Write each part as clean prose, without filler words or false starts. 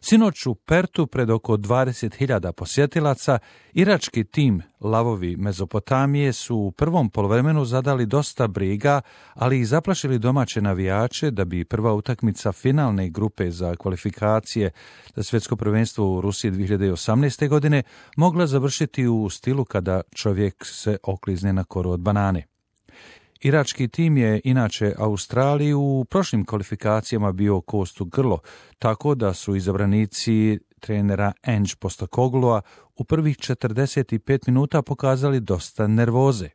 Sinoć u Pertu pred oko 20.000 posjetilaca irački tim Lavovi Mezopotamije su u prvom poluvremenu zadali dosta briga, ali i zaplašili domaće navijače da bi prva utakmica finalne grupe za kvalifikacije za svjetsko prvenstvo u Rusiji 2018. godine mogla završiti u stilu kada čovjek se oklizne na koru od banane. Irački tim je inače Australiji u prošlim kvalifikacijama bio kost u grlo, tako da su izabranici trenera Ange Postecogloua u prvih 45 minuta pokazali dosta nervoze.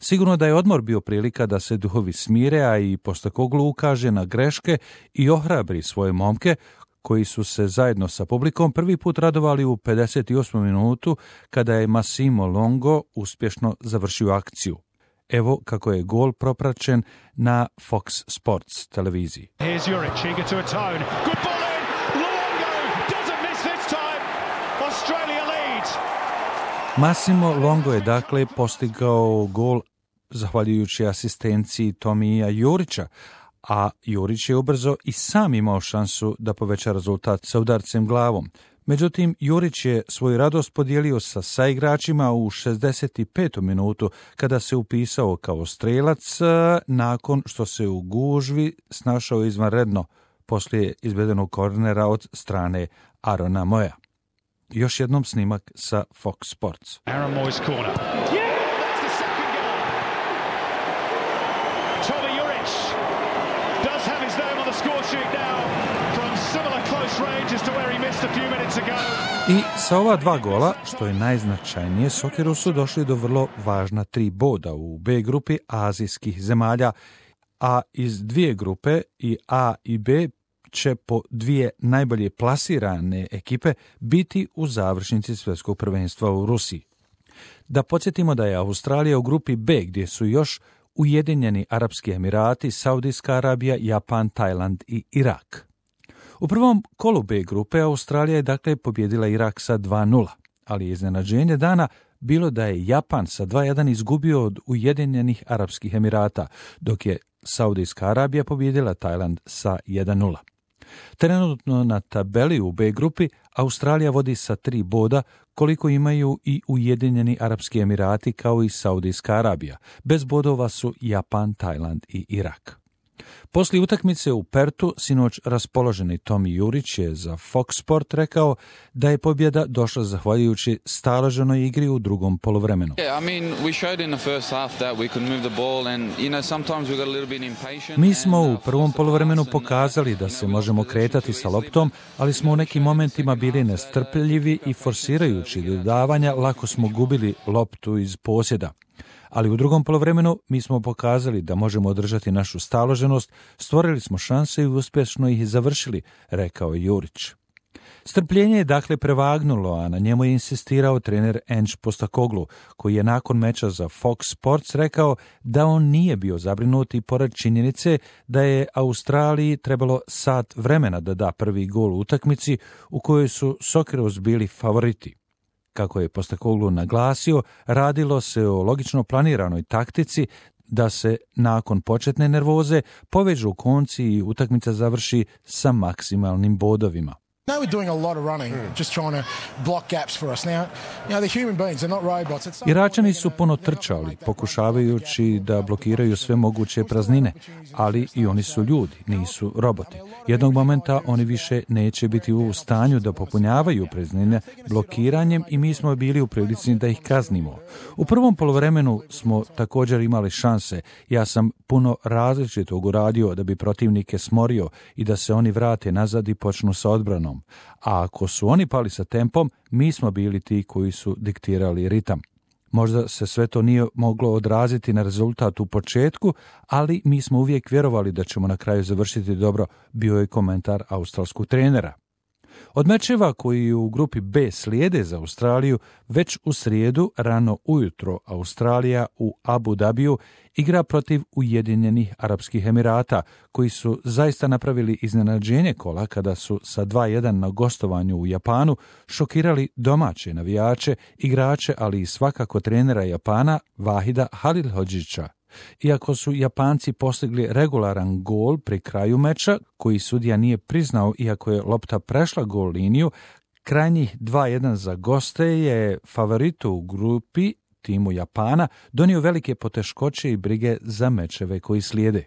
Sigurno da je odmor bio prilika da se duhovi smire, a i Postecoglou ukaže na greške i ohrabri svoje momke, koji su se zajedno sa publikom prvi put radovali u 58. minutu kada je Massimo Longo uspješno završio akciju. Evo kako je gol propraćen na Fox Sports televiziji. Here's Juric, eager to atone. Good ball in. Longo doesn't miss this time. Australia leads. Massimo Longo je dakle postigao gol zahvaljujući asistenciji Tomija Jurića, a Jurić je ubrzo i sam imao šansu da poveća rezultat sa udarcem glavom. Međutim, Jurić je svoju radost podijelio sa saigračima u 65. minutu kada se upisao kao strelac nakon što se u gužvi snašao izvanredno poslije izvedenog kornera od strane Arona Moya. Još jednom snimak sa Fox Sports. Aaron Moy's corner. That's the second goal. Tommy Juric does have his name on the score sheet now from similar close range as to where he missed a few minutes ago. I sa ova dva gola, što je najznačajnije, Sokeru su došli do vrlo važna 3 boda u B grupi azijskih zemalja, a iz 2 grupe i A i B će po 2 najbolje plasirane ekipe biti u završnici svjetskog prvenstva u Rusiji. Da podsjetimo da je Australija u grupi B gdje su još Ujedinjeni Arapski Emirati, Saudijska Arabija, Japan, Tajland i Irak. U prvom kolu B grupe Australija je dakle pobjedila Irak sa 2:0, ali je iznenađenje dana bilo da je Japan sa 2:1 izgubio od Ujedinjenih Arapskih Emirata, dok je Saudijska Arabija pobjedila Tajland sa 1:0. Trenutno na tabeli u B grupi Australija vodi sa 3 boda, koliko imaju i Ujedinjeni Arapski Emirati kao i Saudijska Arabija. Bez bodova su Japan, Tajland i Irak. Poslije utakmice u Pertu, sinoć raspoloženi Tommy Jurić je za Fox Sport rekao da je pobjeda došla zahvaljujući staloženoj igri u drugom poluvremenu. Mi smo u prvom poluvremenu pokazali da se možemo kretati sa loptom, ali smo u nekim momentima bili nestrpljivi i forsirajući dodavanja lako smo gubili loptu iz posjeda. Ali u drugom poluvremenu mi smo pokazali da možemo održati našu staloženost, stvorili smo šanse i uspješno ih završili, rekao je Jurić. Strpljenje je dakle prevagnulo, a na njemu je insistirao trener Ange Postecoglou, koji je nakon meča za Fox Sports rekao da on nije bio zabrinut i pored činjenice da je Australiji trebalo sat vremena da da prvi gol u utakmici u kojoj su Socceroos bili favoriti. Kako je Postecoglou naglasio, radilo se o logično planiranoj taktici da se nakon početne nervoze povežu konci i utakmica završi sa maksimalnim bodovima. No, we're doing a lot of running, just trying to block gaps for us. Now, they're human beings, they're not robots. Iračani su puno trčali, pokušavajući da blokiraju sve moguće praznine, ali i oni su ljudi, nisu roboti. Jednog momenta oni više neće biti u stanju da popunjavaju praznine blokiranjem i mi smo bili u prilici da ih kaznimo. U prvom poluvremenu smo također imali šanse. Ja sam puno različitog uradio da bi protivnike smorio i da se oni vrate nazad i počnu sa odbranom. A ako su oni pali sa tempom, mi smo bili ti koji su diktirali ritam. Možda se sve to nije moglo odraziti na rezultat u početku, ali mi smo uvijek vjerovali da ćemo na kraju završiti dobro, bio je komentar australskog trenera. Od mečeva koji u grupi B slijede za Australiju, već u srijedu rano ujutro Australija u Abu Dhabiju igra protiv Ujedinjenih Arapskih Emirata, koji su zaista napravili iznenađenje kola kada su sa 2:1 na gostovanju u Japanu šokirali domaće navijače, igrače, ali i svakako trenera Japana Vahida Halilhodžića. Iako su Japanci postigli regularan gol pri kraju meča, koji sudija nije priznao iako je lopta prešla gol liniju, krajnjih 2-1 za goste je favoritu u grupi, timu Japana, donio velike poteškoće i brige za mečeve koji slijede.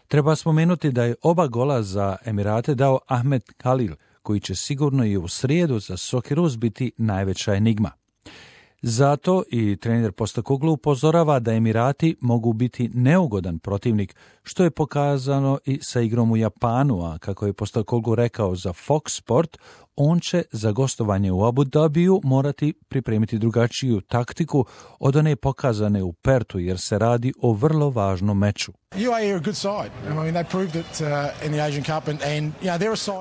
Treba spomenuti da je oba gola za Emirate dao Ahmed Khalil, koji će sigurno i u srijedu za Socceroos biti najveća enigma. Zato i trener Postecoglou upozorava da Emirati mogu biti neugodan protivnik, što je pokazano i sa igrom u Japanu, a kako je Postecoglou rekao za Fox Sport, on će za gostovanje u Abu Dhabiju morati pripremiti drugačiju taktiku od one pokazane u Pertu, jer se radi o vrlo važnom meču.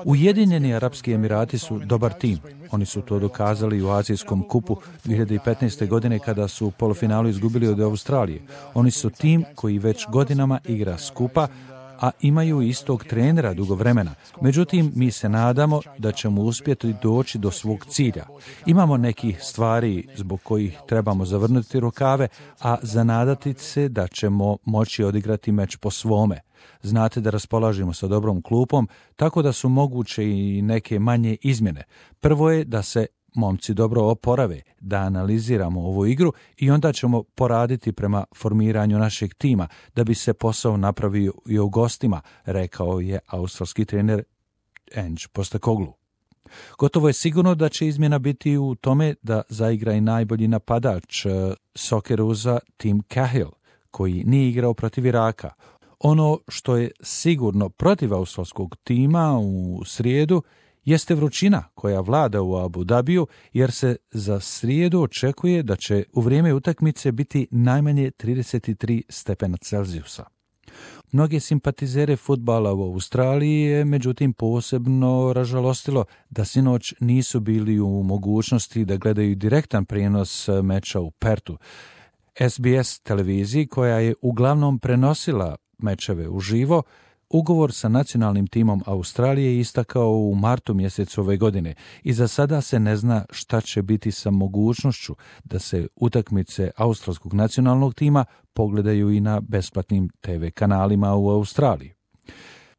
Ujedinjeni Arapski Emirati su dobar tim. Oni su to dokazali u Azijskom kupu 2015. godine kada su u polufinalu izgubili od Australije. Oni su tim koji već godinama igra skupa, a imaju istog trenera dugo vremena. Međutim, mi se nadamo da ćemo uspjeti doći do svog cilja. Imamo nekih stvari zbog kojih trebamo zavrnuti rukave, a zanadati se da ćemo moći odigrati meč po svome. Znate da raspolažemo sa dobrom klupom, tako da su moguće i neke manje izmjene. Prvo je da se momci dobro oporave, da analiziramo ovu igru i onda ćemo poraditi prema formiranju našeg tima da bi se posao napravio i u gostima, rekao je australski trener Ange Postecoglou. Gotovo je sigurno da će izmjena biti u tome da zaigra i najbolji napadač Soccerousa Tim Cahill, koji nije igrao protiv Iraka. Ono što je sigurno protiv australskog tima u srijedu jeste vrućina koja vlada u Abu Dhabiju, jer se za srijedu očekuje da će u vrijeme utakmice biti najmanje 33 stepena Celzijusa. Mnoge simpatizere fudbala u Australiji je međutim posebno ražalostilo da sinoć nisu bili u mogućnosti da gledaju direktan prijenos meča u Pertu. SBS televiziji, koja je uglavnom prenosila mečeve uživo, ugovor sa nacionalnim timom Australije je istakao u martu mjesecu ove godine i za sada se ne zna šta će biti sa mogućnošću da se utakmice australskog nacionalnog tima pogledaju i na besplatnim TV kanalima u Australiji.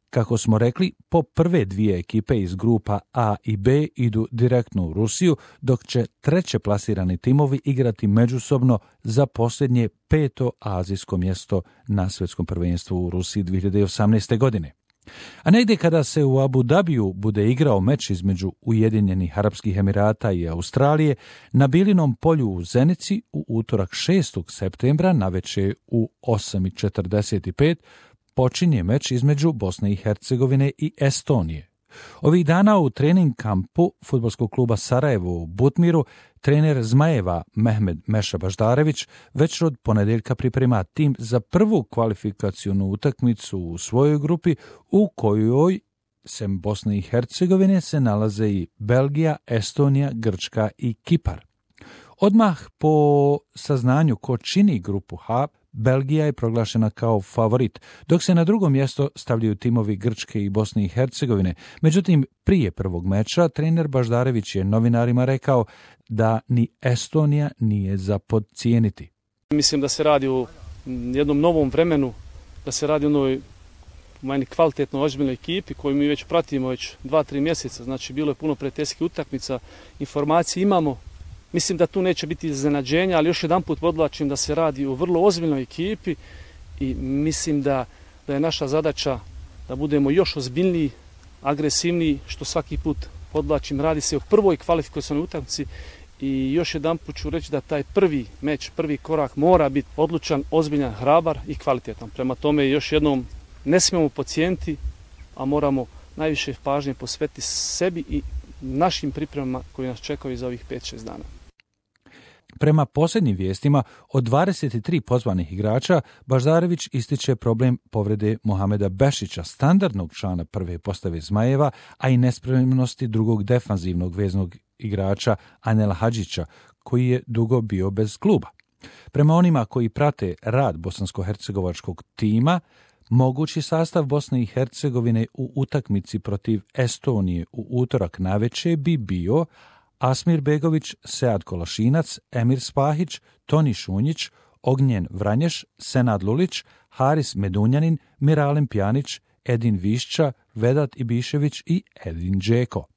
Kako smo rekli, po prve dvije ekipe iz grupa A i B idu direktno u Rusiju, dok će treće plasirani timovi igrati međusobno za posljednje 5. azijsko mjesto na svjetskom prvenstvu u Rusiji 2018. godine. A negdje kada se u Abu Dhabiju bude igrao meč između Ujedinjenih Arapskih Emirata i Australije, na Bilinom polju u Zenici u utorak 6. septembra navečer u 8:45 počinje meč između Bosne i Hercegovine i Estonije. Ovih dana u trening kampu fudbalskog kluba Sarajevo u Butmiru trener Zmajeva Mehmed Meša Baždarević već od ponedjeljka priprema tim za prvu kvalifikacionu utakmicu u svojoj grupi u kojoj sem Bosne i Hercegovine se nalaze i Belgija, Estonija, Grčka i Kipar. Odmah po saznanju ko čini grupu H, Belgija je proglašena kao favorit, dok se na drugo mjesto stavljaju timovi Grčke i Bosne i Hercegovine. Međutim, prije prvog meča trener Baždarević je novinarima rekao da ni Estonija nije za podcijeniti. Mislim da se radi o jednom novom vremenu, da se radi o onoj meni kvalitetno ozbiljnoj ekipi koju mi već pratimo već 2-3 mjeseca. Znači, bilo je puno prijateljskih utakmica, informacije imamo. Mislim da tu neće biti iznenađenja, ali još jedanput podvlačim da se radi o vrlo ozbiljnoj ekipi i mislim da je naša zadaća da budemo još ozbiljniji, agresivniji, što svaki put podvlačim. Radi se o prvoj kvalifikacionoj utakmici i još jedanput ću reći da taj prvi meč, prvi korak mora biti odlučan, ozbiljan, hrabar i kvalitetan. Prema tome još jednom ne smijemo podcijeniti, a moramo najviše pažnje posvetiti sebi i našim pripremama koji nas čekaju za ovih 5-6 dana. Prema posljednjim vijestima, od 23 pozvanih igrača, Baždarević ističe problem povrede Mohameda Bešića, standardnog člana prve postave Zmajeva, a i nespremnosti drugog defanzivnog veznog igrača Anela Hadžića, koji je dugo bio bez kluba. Prema onima koji prate rad bosansko-hercegovačkog tima, mogući sastav Bosne i Hercegovine u utakmici protiv Estonije u utorak navečer bi bio Asmir Begović, Sead Kolašinac, Emir Spahić, Toni Šunjić, Ognjen Vranješ, Senad Lulić, Haris Medunjanin, Miralem Pjanić, Edin Višća, Vedat Ibišević i Edin Džeko.